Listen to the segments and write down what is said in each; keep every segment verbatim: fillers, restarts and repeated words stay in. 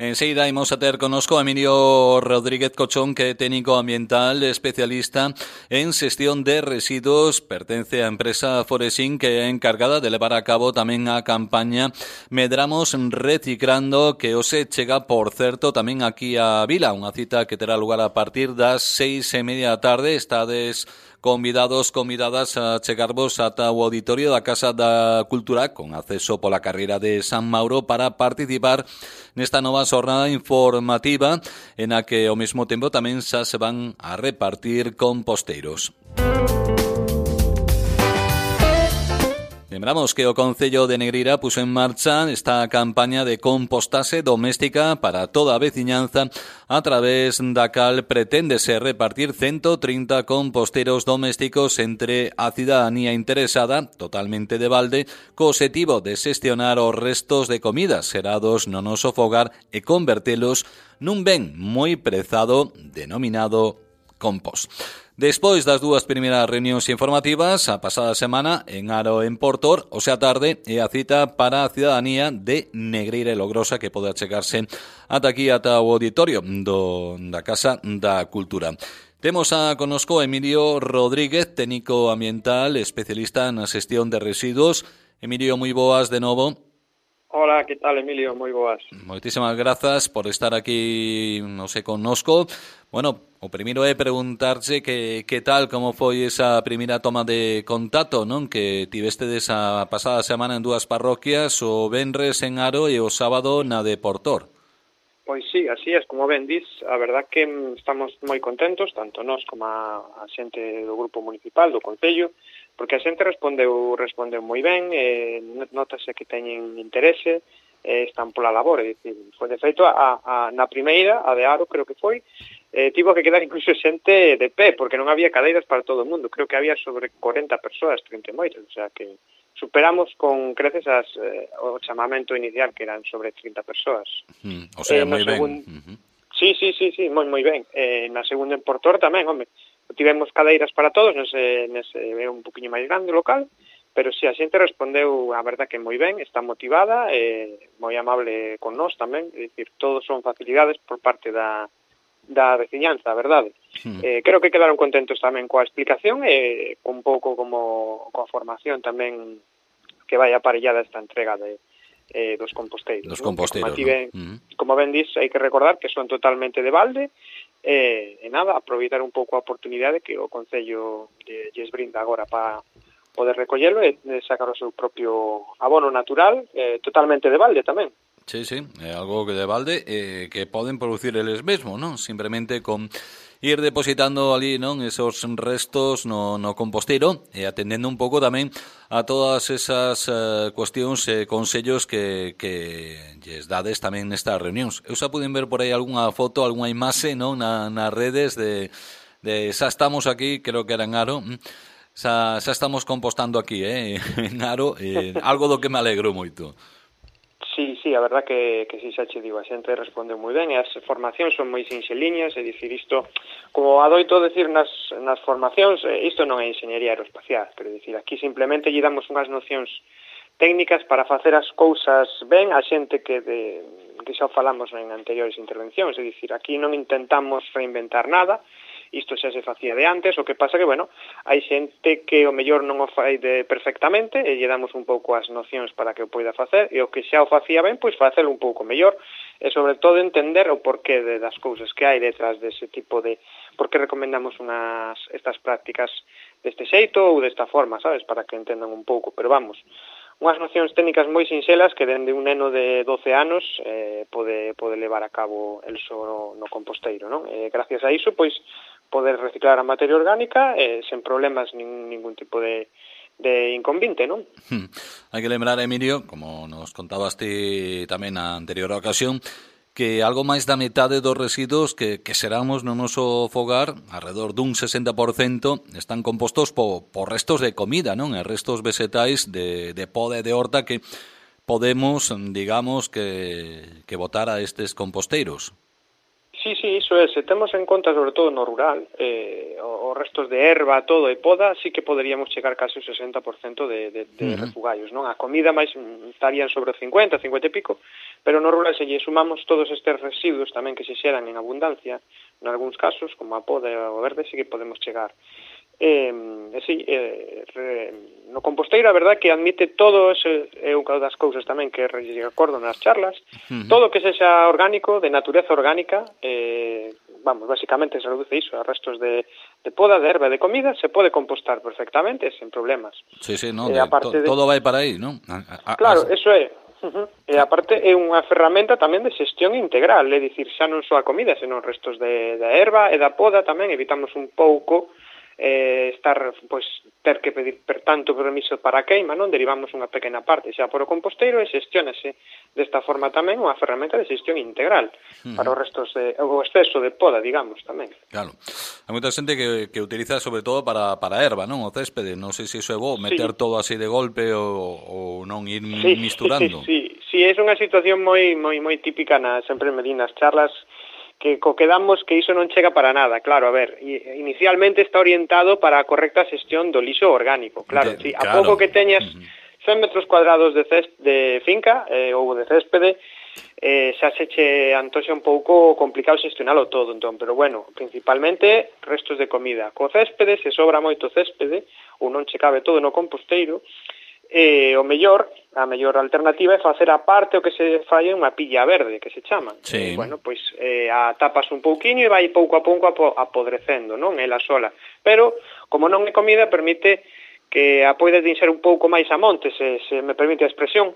Enseguida imos a ter conosco a Emilio Rodríguez Cochón, que é técnico ambiental especialista en xestión de residuos, pertence á empresa Foresin, que é encargada de levar a cabo tamén a campaña Medramos Reciclando, que hoxe chega, por certo, tamén aquí a Vila, unha cita que terá lugar a partir das seis e media da tarde. Estades convidados, convidadas a chegarvos ata o auditorio da Casa da Cultura, con acceso pola carreira de San Mauro, para participar nesta nova xornada informativa en a que ao mesmo tempo tamén xa se van a repartir composteiros. Lembramos que o Concello de Negreira puso en marcha esta campaña de compostaxe doméstica para toda a veciñanza, a través da cal preténdese repartir ciento trinta composteiros domésticos entre a cidadanía interesada, totalmente de balde, co obxectivo de xestionar os restos de comidas xerados no noso fogar e convertelos nun ben moi prezado denominado compost. Despois das dúas primeiras reunións informativas, a pasada semana en Aro en Portor, hoxe a tarde é a cita para a cidadanía de Negreira e Logrosa, que pode achegarse ata aquí, ata o auditorio do, da Casa da Cultura. Temos a conosco Emilio Rodríguez, técnico ambiental, especialista na xestión de residuos. Emilio, moi boas de novo. Hola, que tal, Emilio? Moi boas. Moitísimas grazas por estar aquí, non sei, connosco. Bueno, o primeiro é preguntarche que, que tal, como foi esa primeira toma de contacto, non? Que tivestedes a pasada semana en dúas parroquias, o venres en Aro e o sábado na de Portor. Pois sí, así é, como ben dis, a verdad que estamos moi contentos, tanto nós como a, a xente do grupo municipal, do Concello, porque a xente respondeu respondeu moi ben, eh, notase que teñen interese, eh, están pola labor, é dicir, foi de feito a, a, na primeira, a de Aro creo que foi, eh, tivo que quedar incluso xente de pé, porque non había cadeiras para todo o mundo, creo que había sobre corenta persoas, trinta e moitas, o sea que superamos con creces as, eh, o chamamento inicial, que eran sobre trinta persoas. Mm, o sea, eh, moi segun... ben. Uh-huh. Sí, sí, sí, sí, moi moi ben. Eh, na segunda en Portor tamén, home, tivemos cadeiras para todos, nese, nese é un poquinho máis grande o local, pero si sí, a xente respondeu, a verdad que moi ben, está motivada, eh, moi amable con nós tamén, é dicir, todos son facilidades por parte da, da veciñanza, a verdade. Hmm. Eh, creo que quedaron contentos tamén coa explicación e eh, un pouco como coa formación tamén que vai aparellada esta entrega de eh, dos composteiros. Dos ¿no? composteiros, como, ben, ¿no? Uh-huh. Como ben dis, hai que recordar que son totalmente de balde, e, e nada, aproveitar un pouco a oportunidade que o Concello lles brinda agora para poder recollelo e sacar o seu propio abono natural, eh, totalmente de balde tamén. Sí, sí, é algo que de balde eh, que poden producir eles mesmos, non? Simplemente con ir depositando ali, non, esos restos no, no composteiro e atendendo un pouco tamén a todas esas uh, cuestións e eh, consellos que, que lles dades tamén nestas reunións. Eu xa puden ver por aí algunha foto, algunha imaxe, non, na, nas redes de, de xa estamos aquí, creo que era en Aro, xa, xa estamos compostando aquí, eh, en Aro, eh, algo do que me alegro moito. Sí, sí, a verdad que, que si xa che digo, a xente responde moi ben e as formacións son moi sinxeliñas, é dicir, isto, como adoito decir nas, nas formacións, isto non é enxeñería aeroespacial, pero dicir, aquí simplemente lle damos unhas nocións técnicas para facer as cousas ben a xente que, de, que xa falamos en anteriores intervencións, é dicir, aquí non intentamos reinventar nada, isto xa se facía de antes, o que pasa que, bueno, hai xente que o mellor non o fai de perfectamente e lle damos un pouco as nocións para que o poida facer, e o que xa o facía ben, pois facelo un pouco mellor, e sobre todo entender o porqué de, das cousas que hai detrás dese tipo de... por que recomendamos unas estas prácticas deste xeito ou desta forma, sabes, para que entendan un pouco, pero vamos, unhas nocións técnicas moi sinxelas que dende un neno de doce anos eh, pode, pode levar a cabo el só no, no composteiro, non? E gracias a iso, pois, poder reciclar a materia orgánica eh, sen problemas nin, ningún tipo de, de inconvinte, non? Hmm. Hai que lembrar, Emilio, como nos contabas ti tamén na anterior ocasión, que algo máis da metade dos residuos que, que xeramos no noso fogar, alrededor dun sesenta por cento, están compostos por, por restos de comida, non? E restos vegetais de, de poda e de horta que podemos, digamos, que, que botar a estes composteiros. Sí, Sí, sí, iso é, se temos en conta sobre todo no rural, eh, os restos de erva, todo e poda, sí que poderíamos chegar case o sesenta por cento de, de, de uh-huh. refugallos, non? A comida máis estarían sobre o cincuenta, cincuenta e pico, pero no rural se lle sumamos todos estes residuos tamén que se xeran en abundancia, en algúns casos, como a poda e o verde, sí que podemos chegar. Eh, e sí, eh, re, no composteiro a verdad que admite todo ese, é unha das cousas tamén que recordo nas charlas, uh-huh. todo que sexa orgánico, de natureza orgánica, eh, vamos, basicamente se reduce iso, a restos de, de poda, de erva, de comida, se pode compostar perfectamente, sen problemas. Sí, sí, no, eh, de, to, de... todo vai para aí, non? A, a, claro, a... eso é. Uh-huh. E aparte é unha ferramenta tamén de xestión integral, é dicir, xa non só a comida, senón restos de, de erva e da poda tamén, evitamos un pouco eh, estar, pois, ter que pedir per tanto permiso para a queima, non? Derivamos unha pequena parte xa por o composteiro e xestiónase desta forma tamén unha ferramenta de xestión integral uh-huh. para os restos de, o exceso de poda, digamos, tamén. Claro. Hai moita xente que, que utiliza sobre todo para, para erva, non? O céspede, non sei se iso é bo, meter sí. todo así de golpe ou, ou non ir sí, misturando. Sí, sí, sí, é unha situación moi moi moi típica na, sempre me di nas charlas, que co que damos que iso non chega para nada. Claro, a ver, inicialmente está orientado para a correcta xestión do lixo orgánico. Claro, de, si, a claro. pouco que teñas cen metros cuadrados de, cés, de finca eh, ou de céspede, eh, xa se che antoxa un pouco complicado xestionalo todo, entón, pero bueno, principalmente restos de comida. Co céspede, se sobra moito céspede, ou non che cabe todo no composteiro, eh, o mellor, a mellor alternativa é facer a parte o que se fai unha pilla verde, que se chama. Sí. Eh, bueno, pois eh, a tapas un pouquiño e vai pouco a pouco apodrecendo, non? Ela sola. Pero, como non é comida, permite que a poides dinxer un pouco máis a monte, se, se me permite a expresión,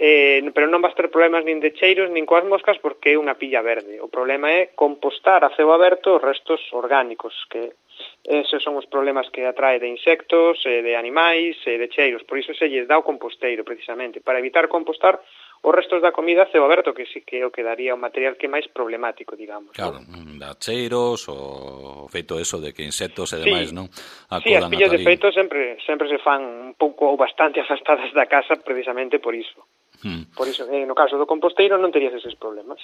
eh, pero non vas ter problemas nin de cheiros nin coas moscas porque é unha pilla verde. O problema é compostar a ceo aberto os restos orgánicos, que esos son os problemas que atrae de insectos, eh, de animais, eh, de cheiros. Por iso se lles dá o composteiro, precisamente, para evitar compostar os restos da comida a ceo aberto, que sí que o que daría o material que é máis problemático, digamos. Claro, ¿no? Da cheiros, o feito eso de que insectos e demais, sí. non? Sí, as pillas de feito sempre sempre se fan un pouco ou bastante afastadas da casa, precisamente por iso. Hmm. Por iso, eh, no caso do composteiro non terías eses problemas.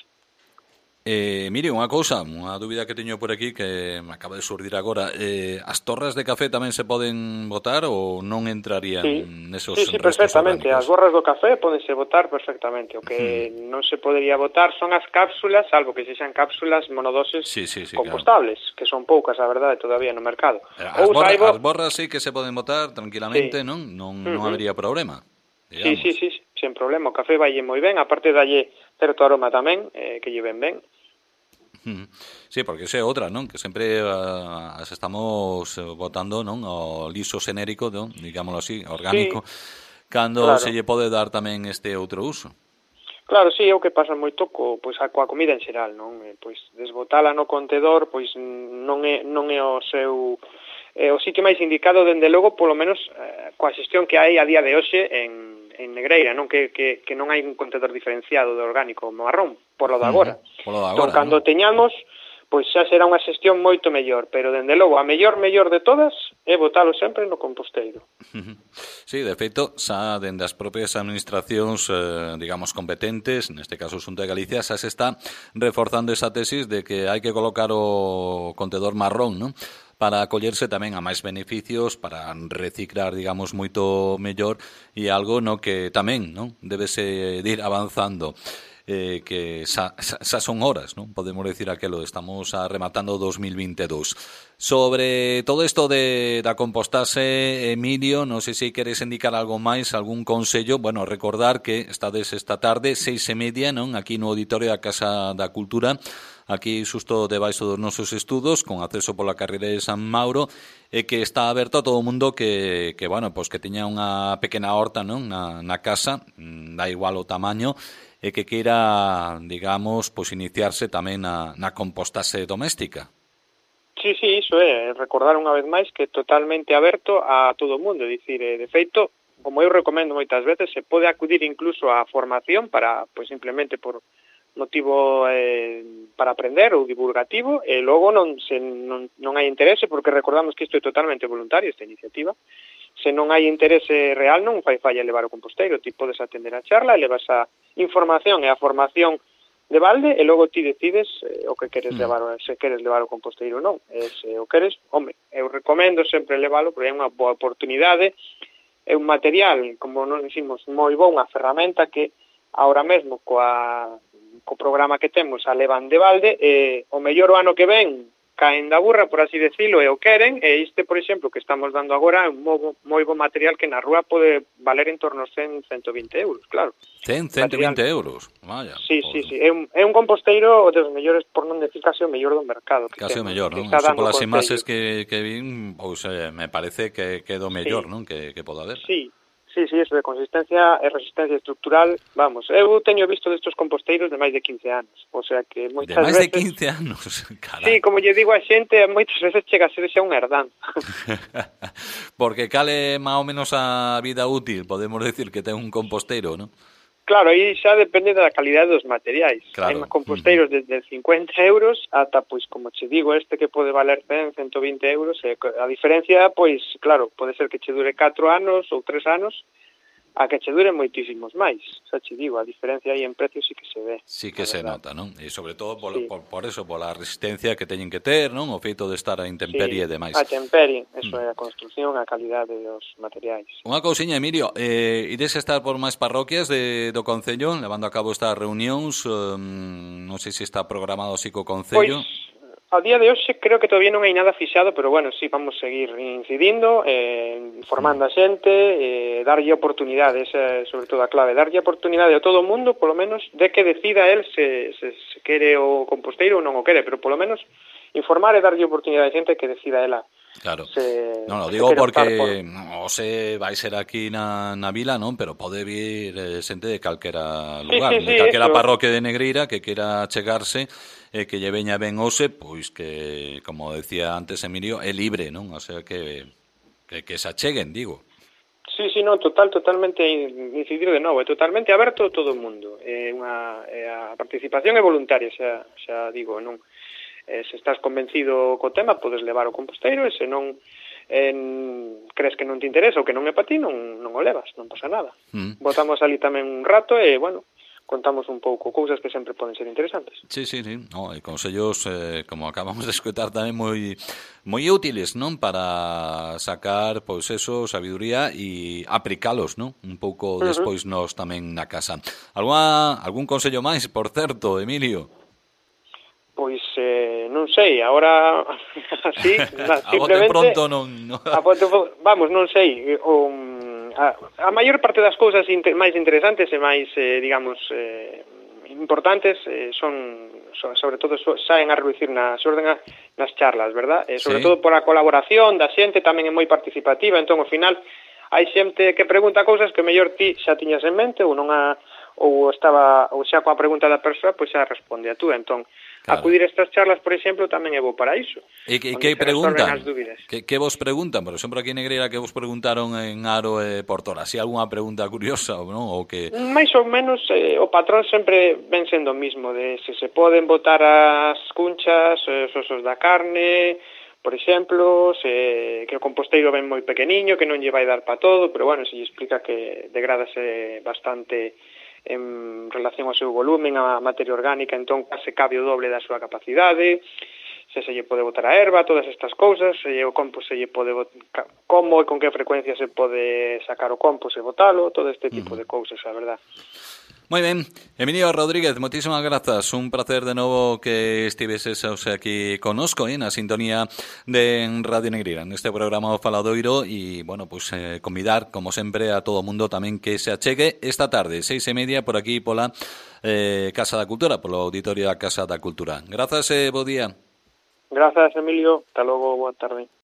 Eh, mire, unha cousa, unha dúbida que teño por aquí que me acaba de surdir agora, eh, as torras de café tamén se poden botar ou non entrarían sí. nesos sí, sí, restos perfectamente, orgánicos? As borras do café podense botar perfectamente, o que hmm. non se podería botar son as cápsulas, salvo que sexan cápsulas monodoses sí, sí, sí, compostables, claro. que son poucas, a verdade, todavía no mercado. As, borra, saibo... as borras sí que se poden botar tranquilamente, sí. non? Non, non uh-huh. habería problema. Digamos. Sí, sí, sí, sen problema, o café valle moi ben, aparte dalle certo aroma tamén, eh, que lle ven ben. Sí, porque esa é outra, non? Que sempre uh, as estamos botando, non? O liso xenérico, non? Digámoslo así, orgánico, sí, cando claro. se lle pode dar tamén este outro uso. Claro, sí, é o que pasa moito co, pois, a, coa comida en xeral, non? Eh, pois desbotala no contedor, pois non é, non é o seu... Eh, o sitio máis indicado, dende logo, polo menos eh, coa xestión que hai a día de hoxe en en Negreira, non que, que, que non hai un contedor diferenciado de orgánico marrón, por lo de agora. Uh-huh. Por lo de agora, entón, cando ¿no? teñamos, pois xa será unha xestión moito mellor, pero dende logo a mellor mellor de todas é botalo sempre no composteiro. Uh-huh. Sí, de feito, xa dende as propias administracións, eh, digamos, competentes, neste caso Xunta de Galicia, xa se está reforzando esa tesis de que hai que colocar o contedor marrón, non? Para acollerse tamén a máis beneficios, para reciclar, digamos, moito mellor, e algo no que tamén, non, debese ir avanzando, eh, que xa, xa, xa son horas, non? Podemos decir aquelo, estamos a rematando dos mil veintidós. Sobre todo isto de da compostase, Emilio, non sei se queres indicar algo máis, algún consello. Bueno, recordar que estades esta tarde, seis e media, non, aquí no auditorio da Casa da Cultura, aquí xusto debaixo dos nosos estudos, con acceso pola carreira de San Mauro, e que está aberto a todo o mundo que, que bueno, pois que teña unha pequena horta, non, na, na casa, da igual o tamaño, e que queira, digamos, pois iniciarse tamén na, na compostase doméstica. Sí, sí, iso é, recordar unha vez máis que é totalmente aberto a todo o mundo, é dicir, de feito, como eu recomendo moitas veces, se pode acudir incluso á formación para, pois simplemente por motivo eh, para aprender ou divulgativo, e logo non, se, non, non hai interese, porque recordamos que isto é totalmente voluntario, esta iniciativa. Se non hai interese real, non fai falla levar o composteiro, ti podes atender a charla, levas a información e a formación de balde e logo ti decides eh, o que queres Mm. levar, se queres levar o composteiro ou non. E se o queres, home, eu recomendo sempre leválo porque é unha boa oportunidade, é un material, como nos dicimos, moi bo, unha ferramenta que ahora mesmo coa, co programa que temos a levan de balde e o mellor o ano que ven caen da burra, por así decirlo, e o queren, e este, por exemplo, que estamos dando agora é un moi, moi bo material que na rúa pode valer en torno a cen, ciento vinte euros, claro. cen, ciento vinte euros, vaya. Sí, por... sí, sí, é un, é un composteiro dos mellores, por non decir casi o mellor do mercado. Que Casi o temos, mellor, que non? está Eso dando polas consellos. imaxes que, que vin, pois eh, me parece que, que do mellor, Sí. non? Que, que poda haber. Sí, sí, sí, eso de consistencia e resistencia estructural, vamos, eu teño visto destos composteiros de máis de quince anos, o sea que moitas De máis veces... de quince anos, carai. Sí, como lle digo a xente, moitas veces chega a ser xa un herdanza. Porque cale máis ou menos a vida útil, podemos decir que ten un composteiro, non? Claro, aí xa depende da calidade dos materiais. Claro. Hai composteiros uh-huh. desde cincuenta euros ata, pois, como che digo, este que pode valer cen, ciento vinte euros. E a diferencia, pois, claro, pode ser que che dure catro anos ou tres anos, a que che dure moitísimos máis. Xa che digo, a diferencia aí en precio sí que se ve. Sí que se nota, non? E sobre todo por, Sí. por, por eso, por a resistencia que teñen que ter, non? O feito de estar a intemperie Sí, e demais. a temperie, eso Mm. é a construción, a calidade dos materiais. Unha cousiña, Emilio, eh, ides estar por máis parroquias de, do Concello, levando a cabo estas reunións, um, non sei se está programado así co Concello. Pois, a día de hoxe creo que todavía non hai nada fixado, pero bueno, sí, vamos seguir incidindo, eh, informando a xente, eh, darlle oportunidades, eh, sobre todo a clave, darlle oportunidade a todo o mundo, polo menos, de que decida el se, se, se quere o composteiro ou non o quere, pero polo menos informar e darlle oportunidade a xente que decida ela. Claro. Se, non, lo se digo quere optar porque por... non sei, vai ser aquí na, na vila, non? Pero pode vir eh, xente de calquera Sí, lugar, sí, de sí, calquera eso. parroquia de Negreira que quera chegarse e eh, que lle veña ben hoxe, pois que, como decía antes Emilio, é libre, non? O sea que, que, que se acheguen, digo. Sí, sí, no, total, totalmente incidir de novo, é totalmente aberto a todo o mundo. É unha, é a participación é voluntaria, xa, xa digo, non. Eh, se estás convencido co tema, podes levar o composteiro, e se non en, crees que non te interesa ou que non é para ti, non, non o levas, non pasa nada. Mm. Botamos ali tamén un rato e, bueno, contamos un pouco cousas que sempre poden ser interesantes. Sí, sí, sí. No, e consellos, eh, como acabamos de escutar, tamén moi moi útiles, non? Para sacar, pois eso, sabiduría e aplicalos, non? Un pouco Uh-huh. despois nos tamén na casa. Algún, algún consello máis, por certo, Emilio? Pois, eh, non sei, agora así, na, a bote simplemente... pronto non... No. a bote, vamos, non sei, o, a, a maior parte das cousas inter, máis interesantes e máis, eh, digamos, eh, importantes eh, son, son, sobre todo, so, saen a reducir na, xorden a, nas charlas, verdad? Eh, sobre Sí. todo pola colaboración da xente, tamén é moi participativa, entón, ao final, hai xente que pregunta cousas que mellor ti xa tiñas en mente ou non a, ou estaba ou xa coa pregunta da persoa, pois xa responde a tú, entón, Claro. acudir a estas charlas, por exemplo, tamén é bo para iso. E que, onde que se resolven preguntan? as dúbidas. Que, que vos preguntan? Por exemplo, aquí en Negreira, que vos preguntaron en Aro e Portora? Si algunha pregunta curiosa, non? Ou que... Mais ou menos eh, o patrón sempre ven sendo o mismo, de se se poden botar as cunchas, os osos da carne, por exemplo, se, que o composteiro ven moi pequeniño, que non lle vai dar para todo, pero bueno, se lle explica que degradase bastante en relación ao seu volumen, a materia orgánica, entón case cabe o doble da súa capacidade, se se lle pode botar a erva, todas estas cousas, se lle o compost se lle pode botar, como e con que frecuencia se pode sacar o compost e botalo, todo este tipo uh-huh. de cousas, a verdad. Moi ben, Emilio Rodríguez, moitísimas grazas, un placer de novo que estiveses aquí conosco, eh, na sintonía de Radio Negreira, neste programa O Faladoiro, e, bueno, pues eh, convidar, como sempre, a todo o mundo tamén que se achegue esta tarde, seis e media, por aquí, pola eh, Casa da Cultura, polo auditorio da Casa da Cultura. Grazas e bo día. Grazas, Emilio, hasta logo, boa tarde.